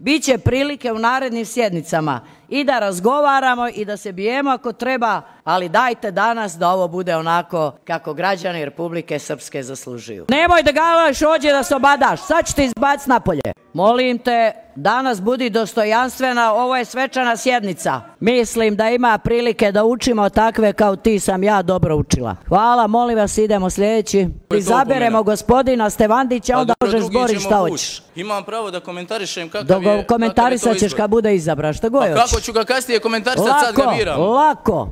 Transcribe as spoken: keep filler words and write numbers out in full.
Biće prilike u narednim sjednicama i da razgovaramo i da se bijemo ako treba, ali dajte danas da ovo bude onako kako građani Republike Srpske zaslužuju. Nemoj da galaš ođe da se obadaš, sad ću te izbaciti napolje. Molim te, danas budi dostojanstvena, ovo je svečana sjednica. Mislim da ima prilike da učimo takve kao ti sam ja dobro učila. Hvala, molim vas, idemo sljedeći. Izaberemo gospodina Stevandića, onda možeš zboriš šta hoćeš. Imam pravo da komentarišem kakav je... Komentarisat ćeš kad bude izabran, šta god hoćeš. Pa kako ću ga kasnije komentarisat, sad ga biram. Lako, lako.